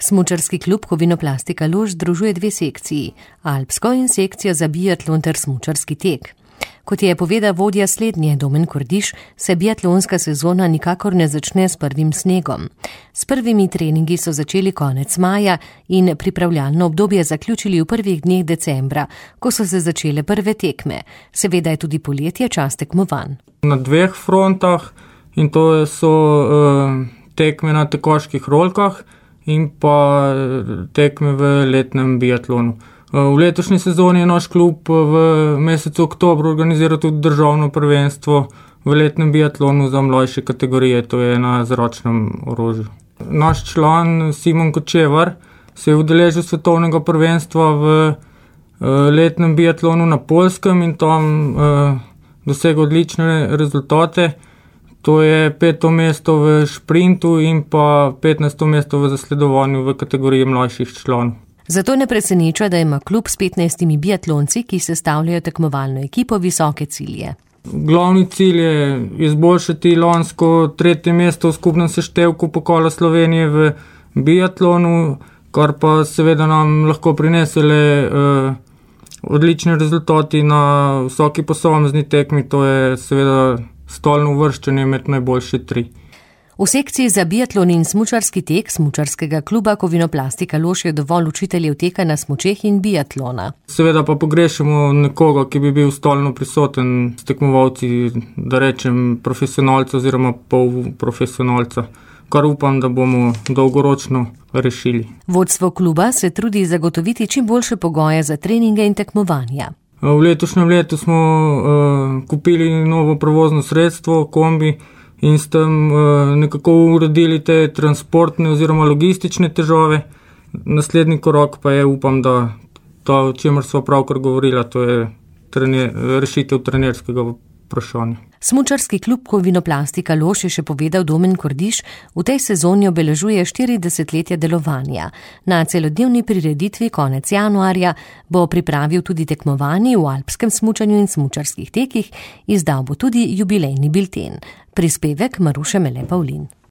Smučarski klub Kovinoplastika Lož združuje dve sekciji, alpsko in sekcijo za biatlon ter smučarski tek. Kot je povedal vodja slednje Domen Kordiš, se biatlonska sezona nikakor ne začne s prvim snegom. S prvimi treningi so začeli konec maja in pripravljalno obdobje zaključili v prvih dneh decembra, ko so se začele prve tekme. Seveda je tudi poletje čas tekmovanj. Na dveh frontah, in to so tekme na tekoških rolkah in pa tekme v letnem biatlonu. V letošnji sezoni je naš klub v mesecu oktobru organiziral tudi državno prvenstvo v letnem biatlonu za mlajše kategorije, to je na zračnem orožju. Naš član Simon Kočevar se je udeležil svetovnega prvenstva v letnem biatlonu na Poljskem in tam dosegel odlične rezultate. To je 5. mesto v šprintu in pa 15. mesto v zasledovanju v kategoriji mlajših članov. Zato ne preseneča, da ima klub s 15 biatlonci, ki sestavljajo tekmovalno ekipo, visoke cilje. Glavni cilj je izboljšati lansko 3. mesto v skupnem seštevku pokala Slovenije v biatlonu, kar pa seveda nam lahko prinesele odlični rezultati na vsaki posamezni tekmi, to je seveda stalno uvrščanje med najboljše 3. V sekciji za biatlon in smučarski tek smučarskega kluba Kovinoplastika Lož je dovolj učiteljev teka na smučeh in biatlona. Seveda pa pogrešamo nekoga, ki bi bil stalno prisoten s tekmovalci, da rečem profesionalca oziroma polprofesionalca, kar upam, da bomo dolgoročno rešili. Vodstvo kluba se trudi zagotoviti čim boljše pogoje za treninge in tekmovanja. V letošnjem letu smo kupili novo prevozno sredstvo, kombi, in s tem nekako uredili te transportne oziroma logistične težave. Naslednji korak pa je, upam, da to, o čemer sva pravkar govorila, to je rešitev trenerskega vprašanja. Smučarski klub Kovinoplastika Lož, je še povedal Domen Kordiš, v tej sezoni obeležuje 40 delovanja. Na celodnevni prireditvi konec januarja bo pripravil tudi tekmovanje v alpskem smučanju in smučarskih tekih, izdal bo tudi jubilejni bilten. Prispevek Maruše Mele Pavlin.